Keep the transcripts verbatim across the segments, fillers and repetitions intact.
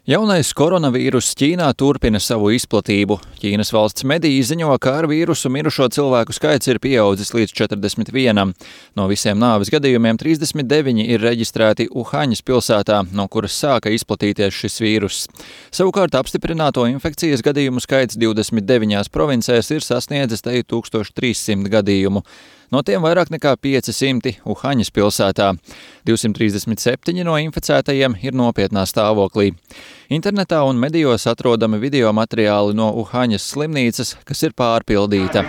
Jaunais koronavīruss Ķīnā turpina savu izplatību. Ķīnas valsts mediji ziņo, ka ar vīrusu mirušo cilvēku skaits ir pieaudzis līdz četrdesmit vienam. No visiem nāves gadījumiem trīsdesmit deviņi ir reģistrēti Uhaņas pilsētā, no kuras sāka izplatīties šis vīruss. Savukārt apstiprināto infekcijas gadījumu skaits divdesmit deviņās provincēs ir sasniedzis te tūkstoš trīs simti gadījumu. No tiem vairāk nekā pieci simti Uhaņas pilsētā. divsimt trīsdesmit septiņi no inficētajiem ir nopietnā stāvoklī. Internetā un medijos atrodami video materiāli no Uhaņas slimnīcas, kas ir pārpildīta.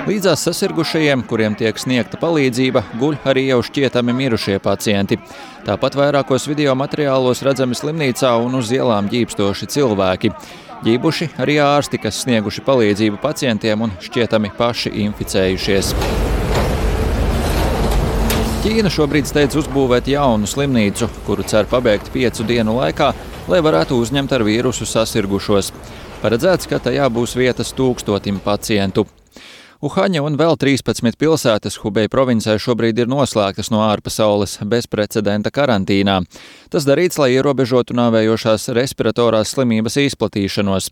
Līdzās sasirgušajiem, kuriem tiek sniegta palīdzība, guļ arī jau šķietami mirušie pacienti. Tāpat vairākos video materiālos redzami slimnīcā un uz ielām ģībstoši cilvēki. Ģībuši arī ārsti, kas snieguši palīdzību pacientiem un šķietami paši inficējušies. Ķīna šobrīd steidz uzbūvēt jaunu slimnīcu, kuru cer pabeigt piecu dienu laikā, lai varētu uzņemt ar vīrusu sasirgušos. Paredzēts, ka tajā būs vietas tūkstotim pacientu. Uhaņa un vēl trīspadsmit pilsētas Hubei provincē šobrīd ir noslēgtas no ārpasaules bezprecedenta karantīnā. Tas darīts, lai ierobežotu nāvējošās respiratorās slimības izplatīšanos.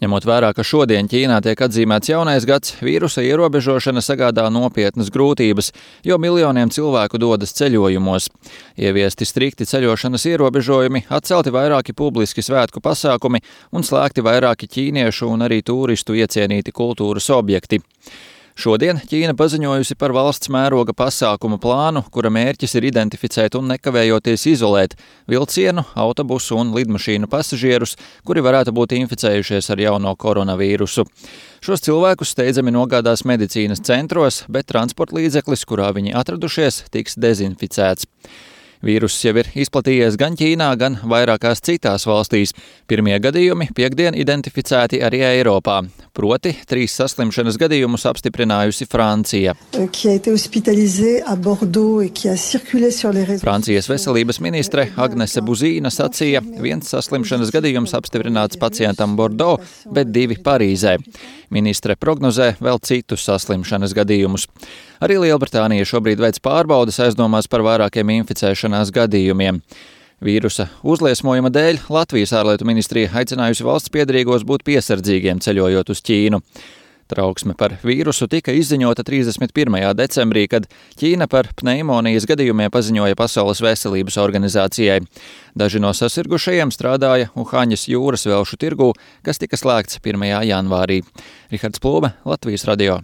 Ņemot vērā, ka šodien Ķīnā tiek atzīmēts jaunais gads, vīrusa ierobežošana sagādā nopietnas grūtības, jo miljoniem cilvēku dodas ceļojumos. Ieviesti strikti ceļošanas ierobežojumi, atcelti vairāki publiski svētku pasākumi un slēgti vairāki ķīniešu un arī turistu iecienīti kultūras objekti. Šodien Ķīna paziņojusi par valsts mēroga pasākumu plānu, kura mērķis ir identificēt un nekavējoties izolēt vilcienu, autobusu un lidmašīnu pasažierus, kuri varētu būt inficējušies ar jauno koronavīrusu. Šos cilvēkus steidzami nogādās medicīnas centros, bet transporta līdzeklis, kurā viņi atradušies, tiks dezinficēts. Vīruss jau ir izplatījies gan Ķīnā, gan vairākās citās valstīs. Pirmie gadījumi piektdien identificēti arī Eiropā. Proti, trīs saslimšanas gadījumus apstiprinājusi Francija. Francijas veselības ministre Agnese Buzīna sacīja, viens saslimšanas gadījums apstiprināts pacientam Bordeaux, bet divi Parīzē. Ministre prognozē vēl citus saslimšanas gadījumus. Arī Lielbritānija šobrīd veic pārbaudes aizdomās par vairākiem inficēšanās gadījumiem. Vīrusa uzliesmojuma dēļ Latvijas ārlietu ministrija aicinājusi valsts piederīgos būt piesardzīgiem ceļojot uz Ķīnu. Trauksme par vīrusu tika izziņota trīsdesmit pirmajā decembrī, kad Ķīna par pneimonijas gadījumiem paziņoja Pasaules veselības organizācijai. Daži no sasirgušajiem strādāja Uhaņas jūras velšu tirgū, kas tika slēgts pirmajā janvārī. Rihards Plūme, Latvijas radio.